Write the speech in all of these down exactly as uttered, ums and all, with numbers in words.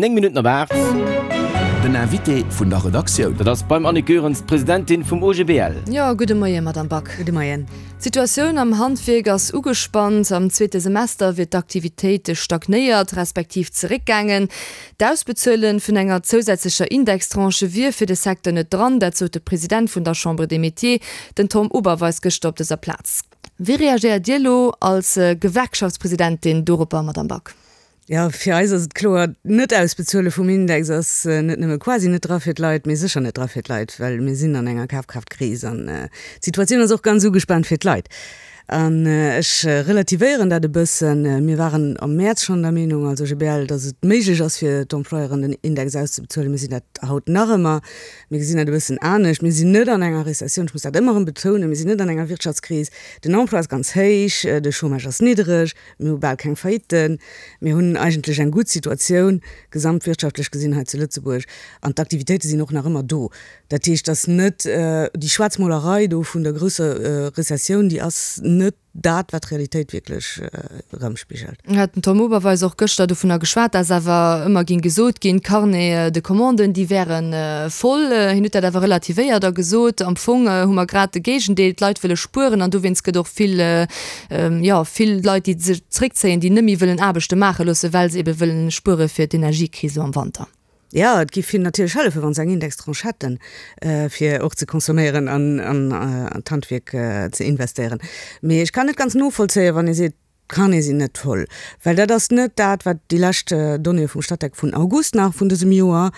Néng Minutten op aacht. Den Invité vun der Redaktioun. Dat ass beim Annick Goerens, d'Presidentin vum O G B L. Jo, gudde Moien, Madamm Back. Gudde Moien. D'Situatioun am Handwierk ass ugespannt. Am zweete Semester wier d'Aktivitéit stagnéiert, respektiv zeréckgaangen. D'Ausbezuele vun enger zousätzlecher Indextranche wier fir de Secteur net dran. Dat sot de President vun der Chambre des Métiers, den Tom Oberweis, gëschter op dëser Plaz. Wéi reagéiert Dir elo als Gewerkschaftspresidentin doropper, Madamm Back? Jo, fir eis ass et kloer, D'Net-Ausbezuele vum Index ass net nëmme quasi net dra fir d'Leit, mee sécher net dra fir d'Leit, well mir sinn an enger Kafkraftkris an d'Situatioun ass och ganz ugespaant fir d'Leit. An ech relativéieren dat e bëssen. Mir waren am Mäerz schonn der Meenung als O G B L, datt et méiglech ass fir d'Employeuren den Index auszebezuelen. Mir sinn dat haut nach ëmmer. Mir gesinn dat e bëssen anescht. Mir sinn net an enger Rezessioun, ech muss dat ëmmer erëm betounen, mir sinn net an enger Wirtschaftskris. Den Emploi ass ganz héich, de Chômage ass niddereg. Mir hu bal keng Faillitten. Mir hunn eigentlech eng gutt Situatioun, gesamtwirtschaftlech gesinn hei zu Lëtzebuerg. An d'Aktivitéite sinn och nach ëmmer do. Dat heescht, dass net déi Schwaarzmolerei do vun der grousser Rezessioun, déi ass net dat, wat d'Realitéit wierklech erëmspigelt. Hat den Tom Oberweis och gëschter dovunner geschwat, dass awer ëmmer géing gesot ginn, d'Carnets de commandes, déi wäre voll. Hien huet dat awer relativéiert a gesot, am Fong hu mer grad de Géigendeel, d'Leit wëlle spueren an dowéinst gëtt och vill, jo, vill Leit, déi sech zréckzéien, déi net méi wëllen Aarbechte maache loossen, well se ebe wëllen spuere fir d'Energiekris elo am Wanter. Jo, et géif hinnen natierlech hëllefen, wa se eng Indextranche hätten, fir och ze consomméieren an an d'Handwierk ze investéieren. Mee ech kann net ganz novollzéien, wann ee seet, d'Carnete sinn net voll, well dat ass net dat, wat déi lescht Donnéeë vum Statec vun August nach vun dësem Joer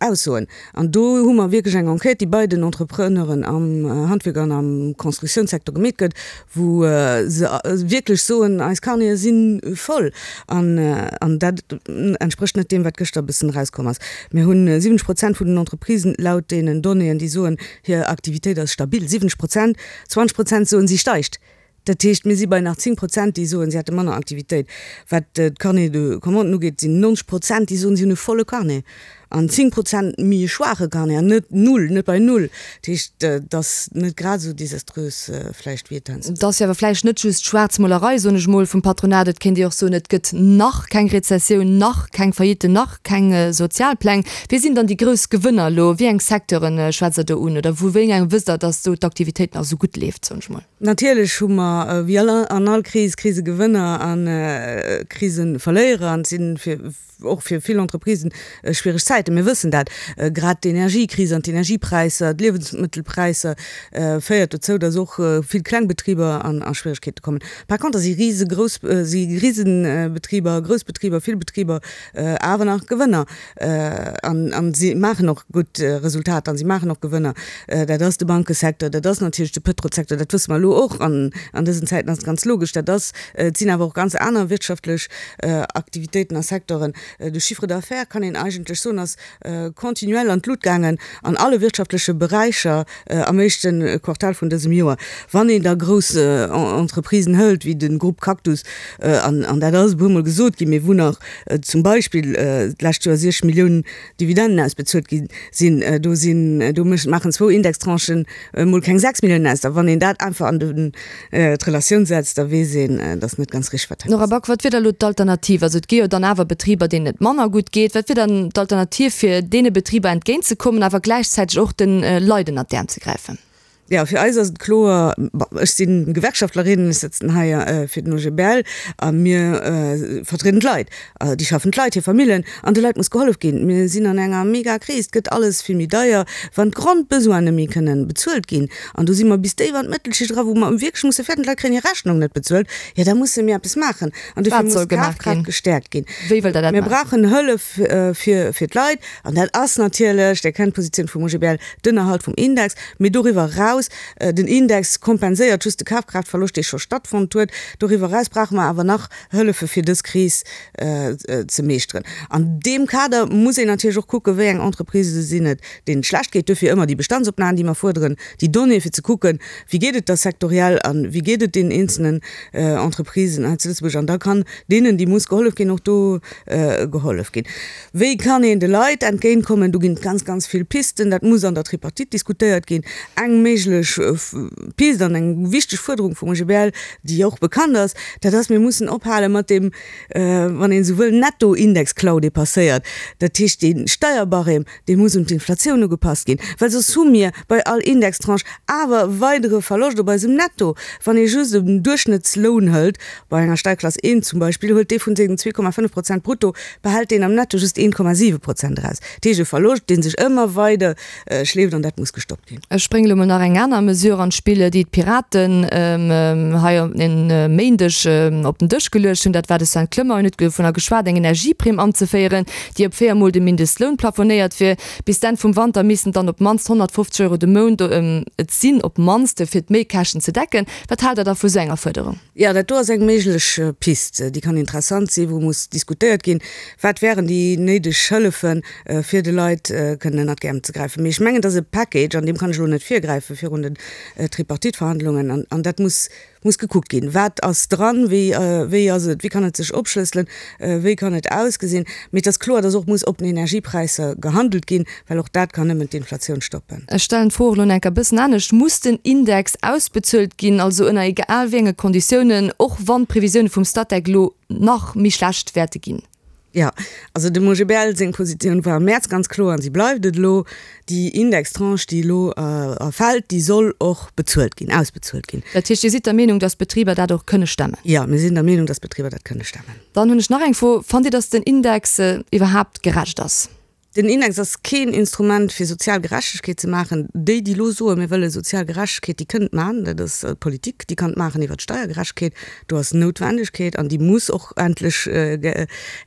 aussoen. An do hu mer wierklech eng Enquête, déi bei den Entrepreneuren am Handwierk an am Constructiounssecteur gemeet gëtt, wou se wierklech soen, eis Carnete si voll. An an dat entsprécht net deem, wat gëschter e bëssen erauskomm ass. Mir hunn siwwenzeg Prozent vun den Entreprisen laut deenen Donnéeën, déi soen, hir Aktivitéit ass stabil. Siwwenzeg Prozent! Zwanzeg Prozent soen, si steigt. Dat heescht, mir si bei nach zéng Prozent, déi soen, si hätte manner Aktivitéit. Wat d'Carnets de commanden ugeet, sinn nonzeg Prozent, déi soen, si hunn e volle Carnet. An zéng Prozent méi e schwaache Carnet, an net null, net bei null. Dat heescht, et ass net grad esou desaströs vläicht, wéi et heiansdo Et ass jo awer vläicht net just Schwaarzmolerei, soen ech mol, vum Patronat. Et kéint ee och soen, et gëtt nach keng Rezessioun, nach keng Faillite, nach keng Sozialpläng. Wie sinn dann déi grouss Gewënner elo? Wéi eng Secteure schwätzt Der do un? Oder vu wéi engem wësst Der, datt do d'Aktivitéit nach esou gutt leeft, soen ech mol? Natierlech hu mer, wéi an all Kris, Krisegewënner a Kriseverléierer. An et si fir och fir vill Entreprisen schwiereg Zäiten. Mir wëssen dat. Grad d'Energiekris an d'Energiepräisser, d'Liewensmëttelpräisser féiert dozou, datt och vill kleng Betriber a Schwieregkeete kommen. Par contre si risegrouss, si Risebetriber, grouss Betriber, vill Betriber awer nach Gewënner. An si maachen och gutt Resultater an si maachen och Gewënner. Dat ass de Bankesecteur, dat ass natierlech de Pëtrolsecteur, dat wësse mer elo och an dësen Zäiten ass et ganz logesch. Dat ass, et sinn awer och ganz aner wirtschaftlech Aktivitéiten a Secteuren. De Chiffre d'affaires, kann een eigentlech soen, ass continuel an d'Lut gaangen an alle wirtschaftleche Beräicher am éischte Quartal vun dësem Joer. Wann een da grouss Entreprisen hëlt, wéi de Groupe Cactus, an dat ass e puermol gesot ginn, mee wou nach zum Beispill d'lescht Joer siechzeg Milliounen Dividenden ausbezuelt gi sinn, do sinn, do maachen zwou Indextranchen emol keng sechs Milliounen aus. Da wann een dat einfach an d'Relatioun setzt, da weess een, dass net ganz richteg wat hei passéiert. Nora Back, Wat wier da elo d'Alternativ? Also et gi jo dann awer Betriber, deenen et manner gutt geet. Wat wier dann d'Alternativ, fir deene Betriber entgéintzekommen, awer gläichzäiteg och de Leit ënnert d'Äerm ze gräifen? Jo, fir eis ass et kloer, bon, ech si Gewerkschaftlerin, ech sëtzen hei fir den O G B L a mir vertrieden d'Leit, déi schaffend Leit, hir Famillen an de Leit muss gehollef ginn. Mir sinn an enger Mega-Kris, et gëtt alles vill méi deier, wann d'Grondbesoine net méi kënnen bezuelt ginn an do si mer bis déif an d'Mëttelschicht era, wou mer wierklech musse fäerten, d'Leit kréien hir Rechnung net bezuelt, jo da musse mir eppes maachen an dofir muss d'Kafkraaft gestäerkt ginn. Wéi wëllt Der dat maachen? Mir brauchen Hëllef fir fir d'Leit an dat ass natierlech, Dir kennt d'Positioun vum O G B L, den Erhalt vum Index, mee doriwwer eraus, den Index kompenséiert just de Kafkraaftverloscht, dee scho stattfonnt huet. Doriwwer eraus brauche mer awer nach Hëllefe fir dës Kris ze meeschteren. An deem Kader muss een natierlech och kucken, wéi eng Entreprisë sinn et, deenen et schlecht geet. Duerfir ëmmer déi Bestandsopnamen, déi mer fuerderen, déi Donnéeë fir ze kucken, wéi geet et da sektoriell a wéi geet et deenen eenzelnen Entreprisen hei zu Lëtzebuerg. An da kann deenen, déi muss gehollef ginn, och do gehollef ginn. Wéi kann een de Leit entgéintkommen? Do ginn et ganz, ganz vill Pisten. Dat muss an der Tripartite diskutéiert ginn. Eng Méiglechkeet méiglech Pist an eng wichteg Fuerderung vum OGBL, déi och bekannt ass, dat ass, mir mussen ophale mat deem, wann een esou wëll, Netto-Indexklau, dee passéiert. Dat heescht, dee Steierbarème, dee muss un d'Inflatioun ugepasst ginn, well soss hu mir bei all Indextranche awer e weidere Verloscht op eisem Netto. Wann ee just en Duerchschnëttsloun hëlt, bei enger Steierklass I zum Beispill, huelt dee vun sengen zwee Komma fënnef Prozent brutto, behält deen am Netto just een Komma siwe Prozent eraus. Dat heescht e Verloscht, dee sech ëmmer weider schleeft an dat muss gestoppt ginn. Ech bréngen elo mol nach eng aner Mesure an d'Spill, déi d'Piraten hei e Méindeg op den Dësch geluecht hunn. Dat war de Sven Clement, hien huet dovunner geschwat, eng Energieprimm anzeféieren, déi op véier Mol de Mindestloun plafonéiert wier. Bis d'Enn vum Wanter missten et dann op d'mannst honnertfofzeg Euro de Mount et sinn, op d'mannst, fir d'Méikäschten ze decken. Wat haalt Der da vu sou enger Fuerderung? Jo, dat do ass eng méiglech Pist, déi kann interessant sinn, wou muss diskutéiert ginn, wat wären déi néideg Hëllefen, fir de Leit kënnen ënnert d'Äerm ze gräifen. Mee ech mengen, et ass e Package, an deem kann ech elo net virgräife virun den Tripartite-Verhandlungen, an dat muss muss gekuckt ginn, wat ass dran, wéi, wéi ass et, wéi kann et sech opschlësselen, wéi kann et ausgesinn. Mee et ass kloer, dass och muss op den Energiepräisser gehandelt ginn, well och dat kann nëmmen d'Inflatioun stoppen. Ech stellen d'Fro och elo nach eng Kéier e bëssen anescht, Muss den Index ausbezuelt ginn, also ënner egal wéi enge Konditiounen, och wann d'Previsioune vum Statec elo nach méi schlecht wäerte ginn? Jo, also dem OGBL seng Positioun war am Mäerz ganz kloer an si bleift et elo, Déi Indextranche, déi elo erfält, déi soll och bezuelt ginn, ausbezuelt ginn. Dat heescht, Dir sidd der Meenung, datt d'Betriber dat och kënne stemmen? Jo, mir sinn der Meenung, datt d'Betriber dat kënne stemmen. Dann hunn ech nach eng Fro, Fannt Dir, datt den Index iwwerhaapt gerecht ass? Den Index ass keen Instrument fir sozial Gerechtegkeet ze maachen. Déi, déi elo soen, mir wëlle sozial Gerechtegkeet, déi kënnen et maachen. Dat ass d'Politik, déi kann et maachen iwwert d'Steiergerechtegkeet. Do ass Noutwendegkeet an déi muss och endlech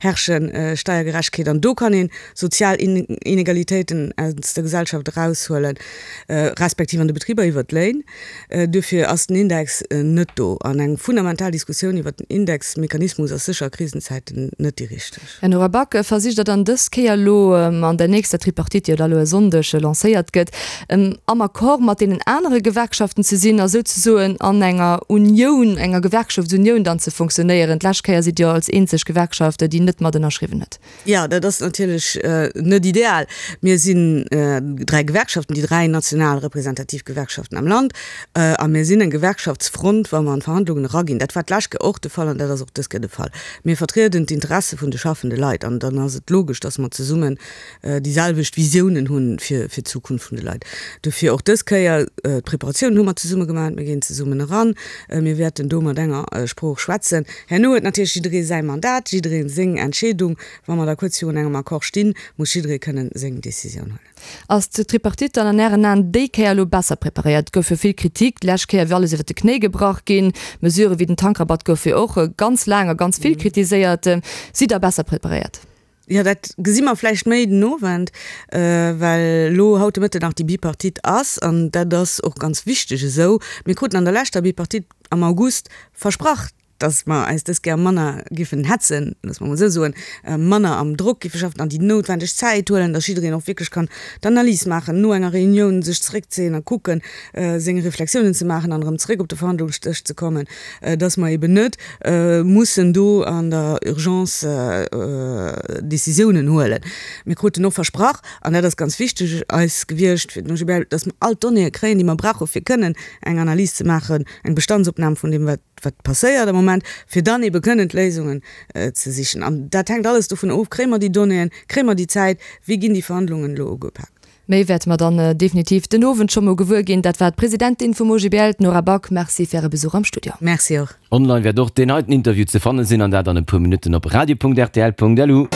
herrschen, Steiergerechtegkeet. An do kann ee sozial Inegalitéiten aus der Gesellschaft eraushuelen, respektiv an de Betriber iwwert d'Léin. Duerfir ass den Index net do. An eng fundamental Diskussioun iwwert den Indexmechanismus ass sécher a Krisenzäiten net déi richteg. Här Nora Back, versicht Der dann dës Kéier elo an der nächster Tripartite, déi jo da elo e Sonndeg lancéiert gëtt, am Accord mat deenen anere Gewerkschaften ze sinn a souzesoen an enger Unioun, enger Gewerkschaftsunioun dann ze funktionéieren? D'lescht Kéier sidd Dir jo als eenzeg Gewerkschaft, déi net mat ënnerschriwwen huet. Jo, dat ass natierlech net ideal. Mir sinn dräi Gewerkschaften, déi dräi national representativ Gewerkschaften am Land, a mir sinn eng Gewerkschaftsfront, wa mer an d'Verhandlungen eraginn. Dat war d'lescht Kéier och de Fall an dat ass och dës Kéier de Fall. Mir vertrieden d'Interesse vun de schaffende Leit an dann ass et logesch, dass mer zesummen déi selwecht Visiounen hu fir d'Zukunft vun de Leit. Dofir och dës Kéier, d'Preparatiounen hu mer zesumme gemaach, mir ginn zesummen eran, mir wäerten do mat enger Sprooch schwätzen. Herno huet natierlech jidderee säi Mandat, jidderee seng Entscheedung. Wa mer da kuerz virun engem Accord stinn, muss jidderee kënnen seng Decisioun huelen. Ass d'Tripartite dann an Ären Aen déi Kéier elo besser preparéiert? Et gouf jo vill Kritik, d'lescht Kéier wier alles iwwer de Knéi gebrach ginn. Mesurë wéi den Tankrabatt goufe jo och ganz laang a ganz vill kritiséiert. Sidd Der besser preparéiert? Jo, dat gesi mer vläicht méi den Owend, well elo haut de Mëtten nach déi Bipartite ass. An dat ass och ganz wichteg esou. Mir kruten an der leschter Bipartite am August versprach, dass mer eis dës Kéier manner giffen hetzen, loosse mer emol esou soen, manner am Drock giffe schaffen an déi noutwendeg Zäit huelen, dass jiddereen och wierklech kann d'Analys maachen, no enger Reunioun sech zeréckzéien a kucken, seng Reflexiounen ze maachen an erëm zeréck op de Verhandlungsdësch ze kommen, dass mer eben net mussen do an der Urgence Décisiounen huelen. Mir kruten och versprach, an dat ass ganz wichteg eis gewiescht fir den OGBL, dass mer all d'Donnéeë kréien, déi mer brauche fir kënnen eng Analys ze maachen, eng Bestandsopnam vun deem, wat wat passéiert am Moment, fir dann ebe kënnen d'Léisungen ze sichen. An dat hänkt alles dovun of, Kréie mer déi Donnéeën, kréie mer déi Zäit, wéi ginn déi Verhandlungen elo ugepaakt? Méi wäerte mer dann definitiv den Owend scho mol gewuer ginn. Dat war d'Presidentin vum OGBL, d'Nora Back. Merci fir Äre Besuch am Studio. Merci och. Online wäert och deen heiten Interview ze fanne sinn, an dat an e puer Minutten op radio.rtl.lu.